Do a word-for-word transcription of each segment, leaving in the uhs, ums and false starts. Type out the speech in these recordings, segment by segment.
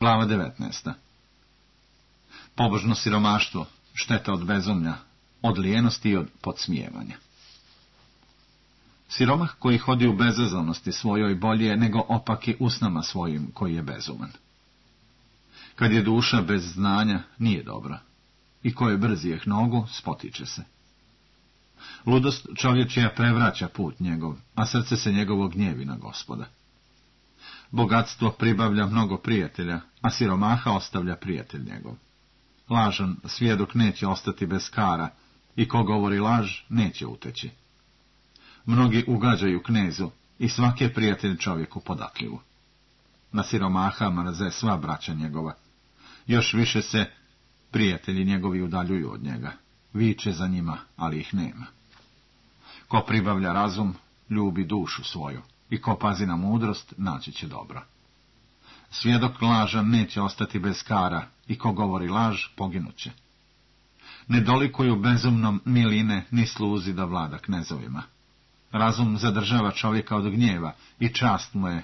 Glava devetnaesta. Pobožno siromaštvo, šteta od bezumlja, od lijenosti i od podsmijevanja. Siromah koji hodi u bezazlenosti svojoj bolje je nego opaki usnama svojim koji je bezuman. Kad je duša bez znanja, nije dobra, i ko je brzijeh nogu, spotiče se. Ludost čovječija prevraća put njegov, a srce se njegovo gnjevi na Gospoda. Bogatstvo pribavlja mnogo prijatelja, a siromaha ostavlja prijatelj njegov. Lažan svjedok neće ostati bez kara, i ko govori laž, neće uteći. Mnogi ugađaju knezu, i svaki je prijatelj čovjeku podatljivu. Na siromaha mrze sva braća njegova. Još više se prijatelji njegovi udaljuju od njega. Viče za njima, ali ih nema. Ko pribavlja razum, ljubi dušu svoju, i ko pazi na mudrost, naći će dobro. Svjedok lažan neće ostati bez kara, i ko govori laž, poginuće. Ne dolikuju bezumnom ni line, ni sluzi da vlada knezovima. Razum zadržava čovjeka od gnjeva, i čast mu je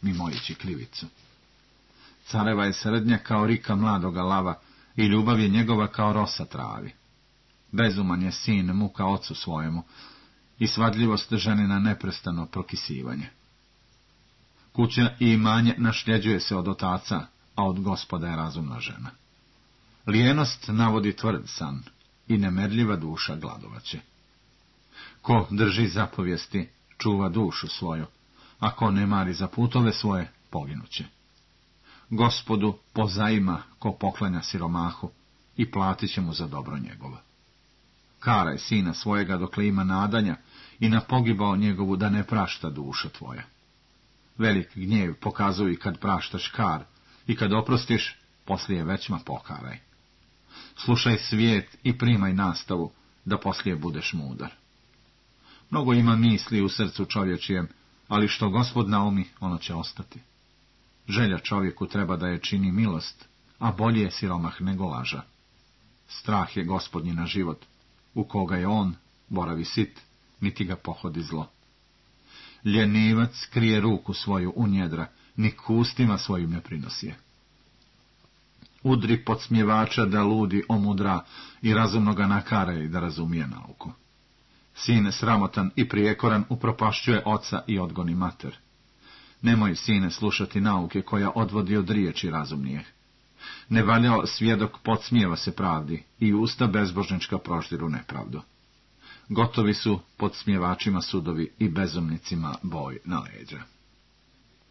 mimoići krivicu. Careva je srednja kao rika mladoga lava, i ljubav je njegova kao rosa travi. Bezuman je sin muka ocu svojemu, i svadljivost ženina neprestano prokisivanje. Kuća i imanje našljeđuje se od otaca, a od Gospoda je razumna žena. Lijenost navodi tvrd san, i nemerljiva duša gladovaće. Ko drži zapovijesti, čuva dušu svoju, a ko ne mari za putove svoje, poginuće. Gospodu pozajma ko poklanja siromahu, i platit će mu za dobro njegovo. Karaj sina svojega dokle ima nadanja, i na pogibao njegovu da ne prašta duša tvoja. Velik gnjev pokazuj kad praštaš kar, i kad oprostiš, poslije većma pokaraj. Slušaj svijet i primaj nastavu, da poslije budeš mudar. Mnogo ima misli u srcu čovječijem, ali što Gospod naumi, ono će ostati. Želja čovjeku treba da je čini milost, a bolje je siromah nego laža. Strah je Gospodnji na život, u koga je on, boravi sit, niti ga pohodi zlo. Ljenivac krije ruku svoju u njedra, ni kustima svojim ne prinosi je. Udri podsmjevača da ludi omudra, i razumnoga nakaraj da razumije nauku. Sin sramotan i prijekoran upropašćuje oca i odgoni mater. Nemoj, sine, slušati nauke koja odvodi od riječi razumnije. Nevaljao svjedok podsmijeva se pravdi, i usta bezbožnička proždiru nepravdu. Gotovi su podsmjevačima sudovi i bezumnicima boj na leđa.